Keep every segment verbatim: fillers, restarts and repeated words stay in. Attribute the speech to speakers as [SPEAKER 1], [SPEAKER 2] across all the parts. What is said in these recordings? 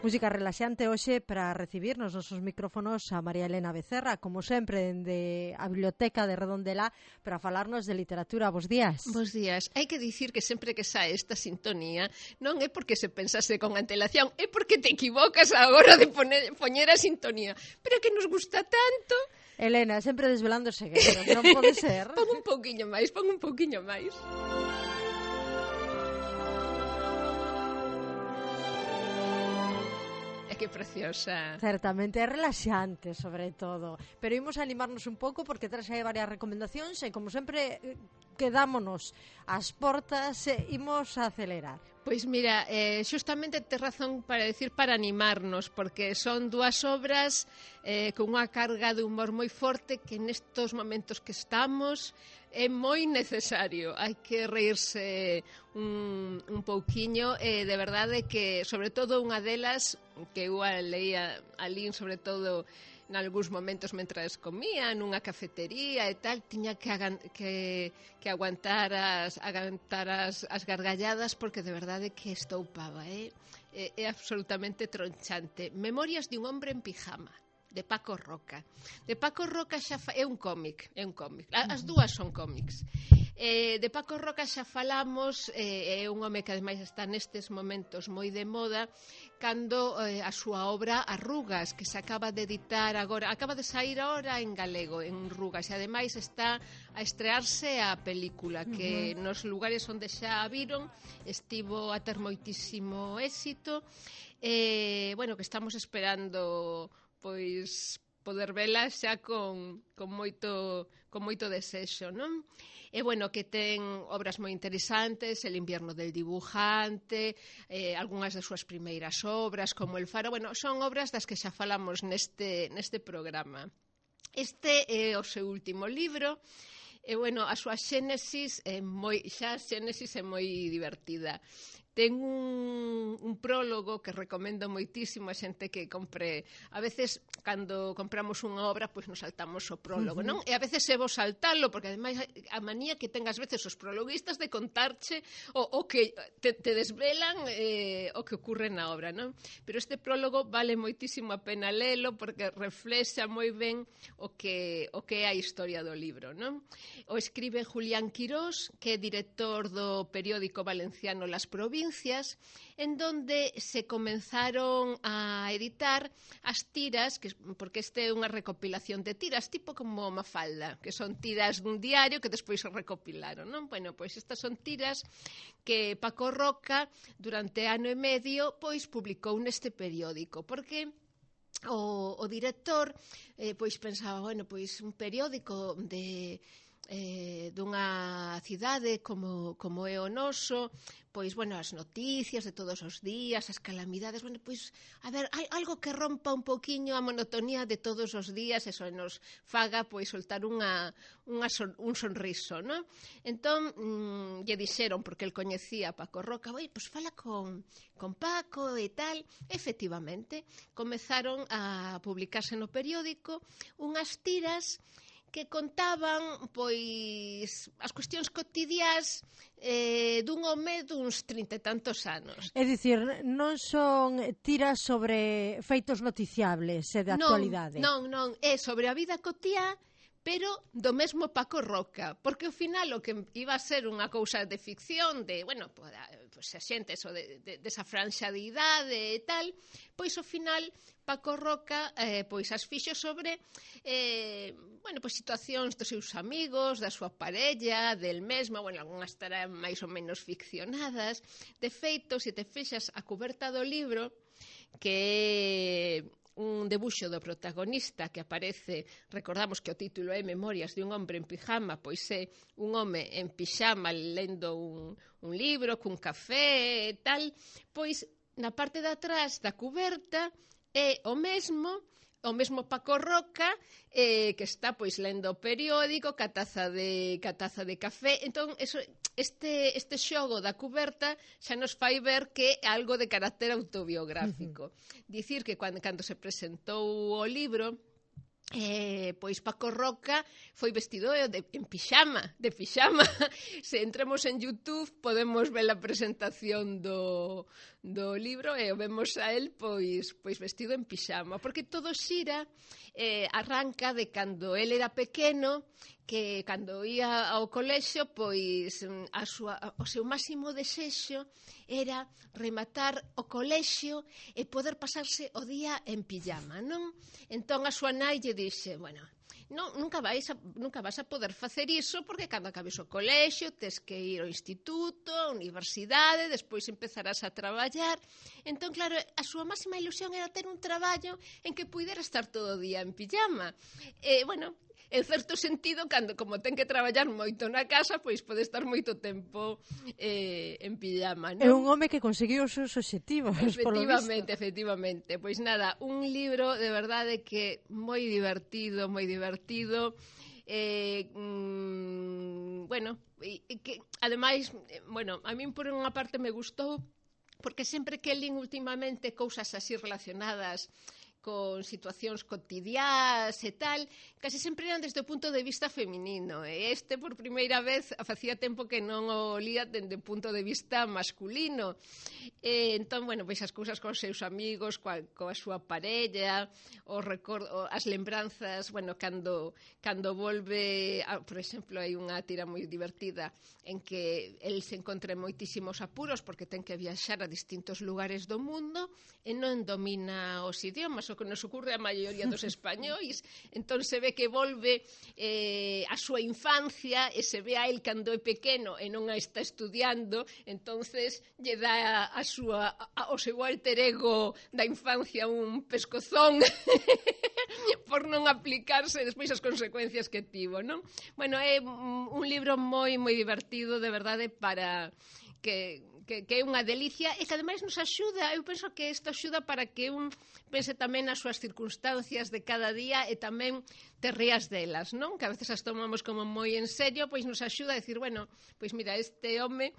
[SPEAKER 1] Música relaxante hoxe para recibir nos nosos micrófonos a María Elena Becerra, como sempre, dende a Biblioteca de Redondela, para falarnos de literatura. Bos días.
[SPEAKER 2] Bos días. Hai que dicir que sempre que sae esta sintonía non é porque se pensase con antelación, é porque te equivocas a hora de poner, poñer a sintonía. Pero que nos gusta tanto.
[SPEAKER 1] Elena, sempre desvelando segredos, non pode ser?
[SPEAKER 2] Pon un pouquiño máis, pon un pouquiño máis. Que preciosa.
[SPEAKER 1] Certamente, é relaxante, sobre todo. Pero imos animarnos un pouco porque tras hai varias recomendacións e, como sempre, quedámonos ás portas e imos a acelerar.
[SPEAKER 2] Pois mira, eh, xustamente te razón para decir para animarnos, porque son dúas obras eh, con unha carga de humor moi forte que nestos momentos que estamos é moi necesario. Hai que reírse un, un pouquiño, e eh, de verdade que, sobre todo, unha delas que eu leía alín, sobre todo en algúns momentos mentras comía nunha cafetería e tal, tiña que, que, que aguantar, as, aguantar as, as gargalladas porque de verdade que estoupaba, eh? é, é absolutamente tronchante. Memorias de un hombre en pijama, de Paco Roca. De Paco Roca xa fa... é un cómic, é un cómic. As dúas son cómics. Eh, de Paco Roca xa falamos, eh, é un home que ademais está nestes momentos moi de moda, cando eh, a súa obra Arrugas, que se acaba de editar agora, acaba de sair agora en galego, en Rugas, e ademais está a estrearse a película, que uh-huh. nos lugares onde xa a viron estivo a ter moitísimo éxito, e, eh, bueno, que estamos esperando pois poder vela xa con, con moito con moito desexo, non? E bueno, que ten obras moi interesantes, El invierno del dibujante, eh, algunhas das súas primeiras obras, como El faro, bueno, son obras das que xa falamos neste, neste programa. Este é o seu último libro, e bueno, a súa xénesis é moi, xa a xénesis é moi divertida. Ten un, un prólogo que recomendo moitísimo a xente que compre. A veces, cando compramos unha obra, pois nos saltamos o prólogo, non? E a veces é vos saltalo, porque ademais a manía que ten as veces os prologuistas de contarche o, o que te, te desvelan eh, o que ocurre na obra, non? Pero este prólogo vale moitísimo a pena lelo, porque reflexa moi ben o que, o que é a historia do libro, non? O escribe Julián Quirós, que é director do periódico valenciano Las Provincias, en donde se comenzaron a editar as tiras, que, porque este é unha recopilación de tiras, tipo como Mafalda, que son tiras dun diario que despois se recopilaron, non? Bueno, pois estas son tiras que Paco Roca, durante ano e medio, pois publicou neste periódico, porque o, o director eh, pois pensaba, bueno, pois un periódico de... Eh, dunha cidade como, como é o noso, pois, bueno, as noticias de todos os días, as calamidades, bueno, pois, a ver, hai algo que rompa un poquiño a monotonía de todos os días, eso nos faga, pois, soltar unha, unha son, un sonriso, non? Entón, mmm, lle dixeron, porque el coñecía a Paco Roca, oi, pois fala con, con Paco e tal. Efectivamente, comezaron a publicarse no periódico unhas tiras que contaban, pois, as cuestións cotidiás eh, dun home duns trinta e tantos anos.
[SPEAKER 1] É dicir, non son tiras sobre feitos noticiables e de actualidade.
[SPEAKER 2] Non, non, non, é sobre a vida cotiá, pero do mesmo Paco Roca, porque ao final o que iba a ser unha cousa de ficción, de, bueno, pois a xente, eso, de, de, desa franxa de idade e tal, pois ao final Paco Roca eh, pois as fixo sobre eh, bueno, pois situacións dos seus amigos, da súa parella, del mesmo, bueno, algunhas estarán máis ou menos ficcionadas. De feito, se te fixas a cuberta do libro, que un debuxo do protagonista que aparece, recordamos que o título é Memorias de un hombre en pijama, pois é un home en pijama lendo un, un libro cun café e tal, pois na parte de atrás da cuberta é o mesmo, o mesmo Paco Roca, eh, que está pois lendo o periódico, ca taza de, ca taza de café. Entón, eso, este, este xogo da cuberta xa nos fai ver que é algo de carácter autobiográfico. Uh-huh. Dicir que cando, cando se presentou o libro, Eh, pois Paco Roca foi vestido de, en pixama, de pixama. Se entramos en YouTube podemos ver a presentación do, do libro e o vemos a él pois, pois vestido en pixama, porque todo xira, eh, arranca de cando él era pequeno, que cando ia ao colexio, pois a súa, o seu máximo desexo era rematar o colexio e poder pasarse o día en pijama, non? Entón a súa nai lle dixe, bueno, non, nunca, vais a, nunca vas a poder facer iso porque cando acabes o colexio tes que ir ao instituto, á universidade, despois empezarás a traballar. Entón, claro, a súa máxima ilusión era ter un traballo en que puidera estar todo o día en pijama. E, bueno, en certo sentido, cando como ten que traballar moito na casa, pois pode estar moito tempo eh, en pijama, non?
[SPEAKER 1] É un home que conseguiu os seus obxectivos,
[SPEAKER 2] efectivamente, efectivamente. Pois nada, un libro de verdade que moi divertido, moi divertido. Eh, mmm, bueno, e, e que ademais, eh, bueno, a min por unha parte me gustou porque sempre que lín últimamente cousas así relacionadas con situacións cotidiás e tal, casi sempre eran desde o punto de vista feminino. E este, por primeira vez, facía tempo que non o lía dende o punto de vista masculino. E, entón, bueno, pois as cousas cos seus amigos, coa, coa súa parella, os recordo, as lembranzas, bueno, cando, cando volve, a, por exemplo, hai unha tira moi divertida en que el se encontra en moitísimos apuros porque ten que viaxar a distintos lugares do mundo e non domina os idiomas, o que nos ocurre a maioría dos españois. Entón se ve que volve eh, a súa infancia e se ve a el cando é pequeno e non a está estudiando, entonces lle dá a, a súa, a, o seu alter ego da infancia un pescozón por non aplicarse despois as consecuencias que tivo, non? Bueno, é un libro moi, moi divertido, de verdade, para que... Que, que é unha delicia e que ademais nos axuda, eu penso que isto axuda para que un pense tamén nas súas circunstancias de cada día e tamén te rías delas, non? Que a veces as tomamos como moi en serio, pois nos axuda a decir, bueno, pois mira, este home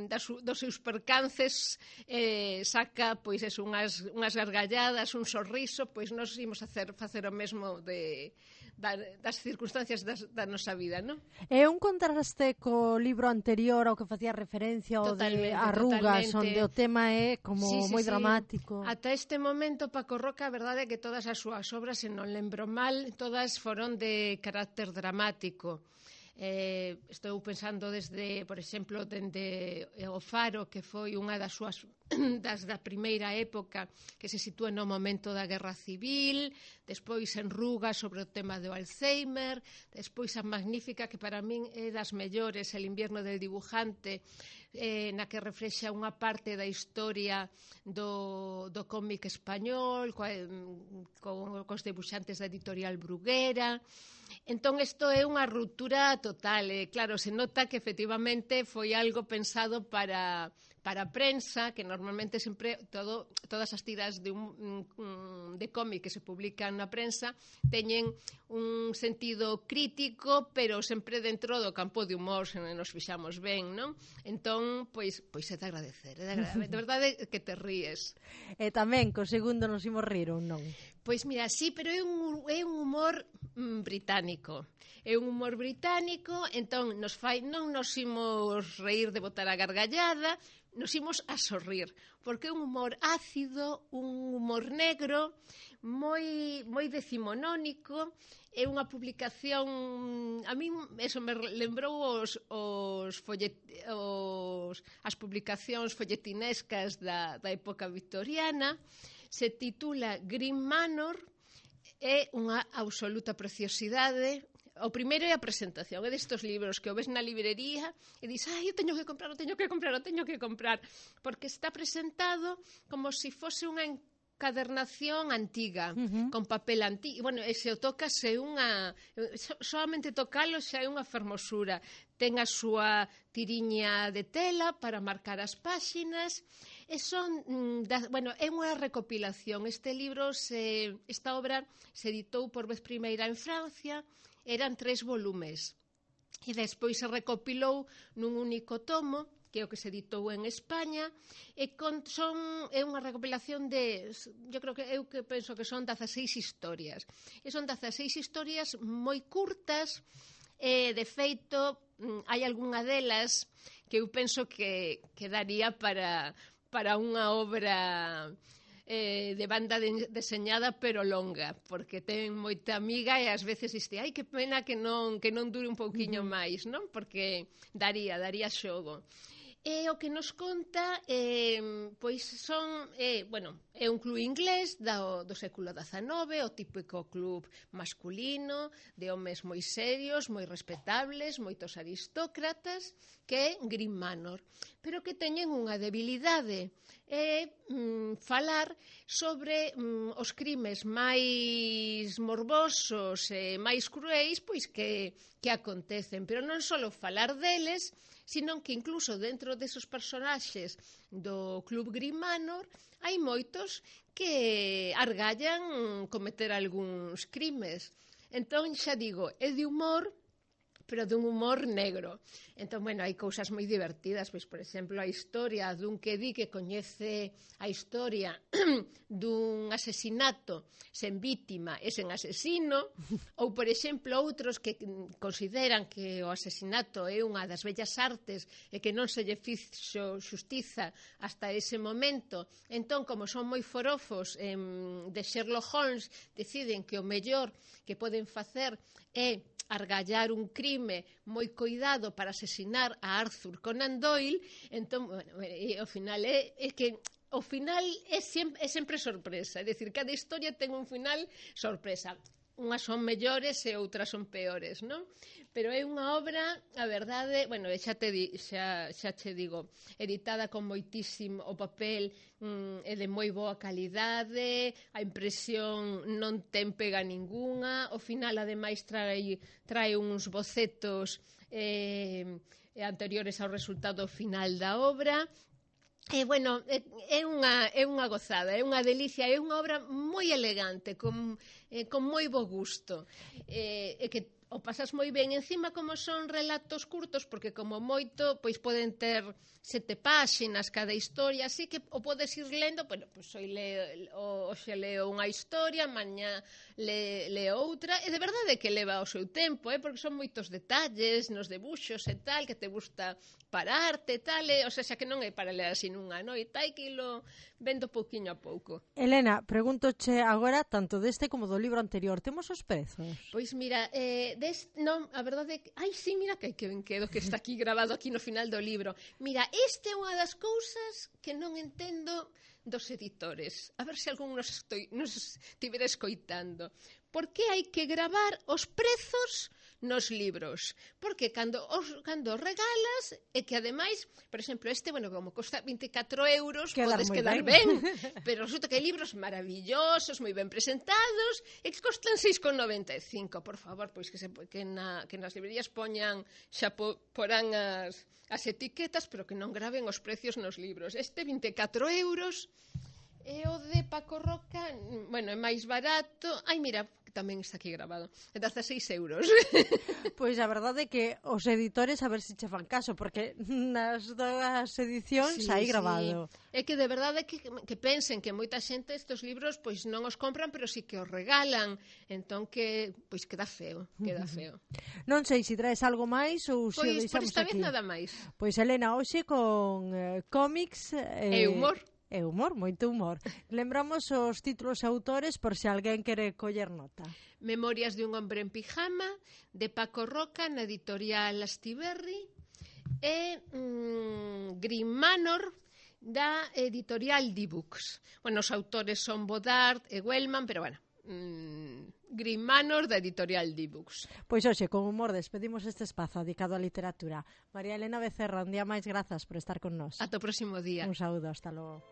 [SPEAKER 2] das, dos seus percances eh, saca pois eso, unhas, unhas gargalladas, un sorriso, pois nos imos a hacer, facer o mesmo de... das circunstancias das, da nosa vida, non?
[SPEAKER 1] É un contraste co libro anterior ao que facía referencia ao de Arrugas, totalmente. Onde o tema é como sí, sí, moi sí. dramático.
[SPEAKER 2] Ata este momento, Paco Roca, a verdade é que todas as súas obras, se non lembro mal, todas foron de carácter dramático. Eh, estou pensando desde, por exemplo, dende O Faro, que foi unha das súas das da primeira época, que se sitúa no momento da Guerra Civil, despois En Ruga sobre o tema do Alzheimer, despois a Magnífica, que para min é das mellores, El invierno del dibujante, eh, na que reflexa unha parte da historia do, do cómic español, coa, co, cos debuxantes da editorial Bruguera. Entón, isto é unha ruptura total. E, claro, se nota que efectivamente foi algo pensado para... para a prensa, que normalmente sempre todo, todas as tiras de, un, de cómic que se publican na prensa teñen un sentido crítico, pero sempre dentro do campo de humor, se nos fixamos ben, non? Entón, pois, pois é de agradecer, é de agradecer, de verdade que te ríes.
[SPEAKER 1] E tamén, co segundo nos imos rir ou non?
[SPEAKER 2] Pois mira, sí, pero é un, é un humor mm, británico. É un humor británico, entón nos fai, non nos imos reír de botar a gargallada, nos imos a sorrir, porque é un humor ácido, un humor negro, moi moi decimonónico, é unha publicación, a min eso me lembrou os, os, follet, os as publicacións folletinescas da, da época victoriana. Se titula Green Manor, é unha absoluta preciosidade. O primeiro é a presentación, é destos libros que o ves na librería e dis, ai, eu teño que comprar, o teño que comprar, o teño que comprar, porque está presentado como se si fose unha encadernación antiga, uh-huh. con papel antigo. Bueno, e se o tocas é unha... solamente tocalo xa é unha fermosura. Ten a súa tiriña de tela para marcar as páxinas. E son, da, bueno, é unha recopilación. Este libro, se, esta obra se editou por vez primeira en Francia, eran tres volumes. E despois se recopilou nun único tomo, que é o que se editou en España, e con, son, é unha recopilación de, eu creo que eu que penso que son dezaseis historias. E son dezaseis historias moi curtas, e de feito hai algunha delas que eu penso que, que daría para, para unha obra eh, de banda de, deseñada pero longa, porque ten moita amiga e ás veces diste, ai, que pena que non, que non dure un pouquiño uh-huh. máis, non? Porque daría, daría xogo. E o que nos conta, eh, pois son, eh, bueno, é un club inglés do, do século dezanove, o típico club masculino, de homes moi serios, moi respetables, moitos aristócratas, que é Green Manor, pero que teñen unha debilidade, é mm, falar sobre mm, os crimes máis morbosos e máis cruéis, pois que, que acontecen, pero non só falar deles, sino que incluso dentro desos personaxes do Club Green Manor hai moitos que argallan cometer algúns crimes. Entón, xa digo, é de humor, pero dun humor negro. Entón, bueno, hai cousas moi divertidas, pois, por exemplo, a historia dun que di que coñece a historia dun asesinato sen vítima e sen asesino, ou, por exemplo, outros que consideran que o asesinato é unha das bellas artes e que non se lle fixo xustiza hasta ese momento. Entón, como son moi forofos eh, de Sherlock Holmes, deciden que o mellor que poden facer é argallar un crime moi coidado para asesinar a Arthur Conan Doyle. Entón, bueno, e ao final é, é que o final é sempre, é sempre sorpresa, é dicir, cada historia ten un final sorpresa. Unhas son mellores e outras son peores, non? Pero é unha obra, a verdade, bueno, xa te di, xa, xa che digo, editada con moitísimo o papel, mm, é de moi boa calidade, a impresión non ten pega ningunha, o final ademais trae, trae uns bocetos eh, anteriores ao resultado final da obra. E, bueno, é unha, é unha gozada, é unha delicia, é unha obra moi elegante, con, eh, con moi bo gusto, e, e que o pasas moi ben. Encima, como son relatos curtos, porque como moito, pois poden ter sete páxinas cada historia, así que o podes ir lendo, bueno, pois hoxe leo, hoxe leo unha historia, mañá le, leo outra, e de verdade que leva o seu tempo, eh, porque son moitos detalles nos debuxos e tal, que te gusta pararte e tal, e, o sea, xa que non é para ler así nunha noite, hai que ilo vendo pouquiño a pouco.
[SPEAKER 1] Elena, pregúntoche agora tanto deste como do libro anterior, temos os prezos?
[SPEAKER 2] Pois mira, eh, des, non, a verdade é que, ai, sí, mira que que ben quedo que está aquí grabado aquí no final do libro. Mira, esta é unha das cousas que non entendo dos editores. A ver se algún nos, estoy, nos estivera escoitando. Por que hai que gravar os prezos nos libros? Porque cando os, cando os regalas, e que ademais, por exemplo, este, bueno, como costa vinte e catro euros, quedar podes quedar ben. ben, pero resulta que hai libros maravillosos, moi ben presentados, e que costan seis con noventa e cinco. Por favor, pois que, se, que, na, que nas librerías poñan, xa po, porán as, as etiquetas, pero que non graven os precios nos libros. Este vinte e catro euros, e o de Paco Roca, bueno, é máis barato. Ai, mira, tamén está aquí grabado, é dezaseis euros.
[SPEAKER 1] Pois a verdade é que os editores a ver se che fan caso, porque nas dúas edicións sí, hai grabado.
[SPEAKER 2] Sí. É que de verdade que, que pensen que moita xente estes libros pois non os compran, pero sí que os regalan, entón que pois queda feo, queda feo.
[SPEAKER 1] Non sei se traes algo máis ou se
[SPEAKER 2] pois,
[SPEAKER 1] o deixamos aquí.
[SPEAKER 2] Pois por esta vez nada máis.
[SPEAKER 1] Pois Elena, hoxe con eh, cómics
[SPEAKER 2] eh, e humor.
[SPEAKER 1] É humor, moito humor. Lembramos os títulos e autores por se alguén quere coller nota.
[SPEAKER 2] Memorias de un hombre en pijama, de Paco Roca, na editorial Astiberri, e mm, Green Manor, da editorial D-Books. Bueno, os autores son Bodard e Wellman, pero bueno, mm, Green Manor, da editorial D-Books.
[SPEAKER 1] Pois hoxe, con humor, despedimos este espazo dedicado á literatura. María Elena Becerra, un día máis, grazas por estar con nós.
[SPEAKER 2] Ata o próximo día.
[SPEAKER 1] Un saúdo, hasta logo.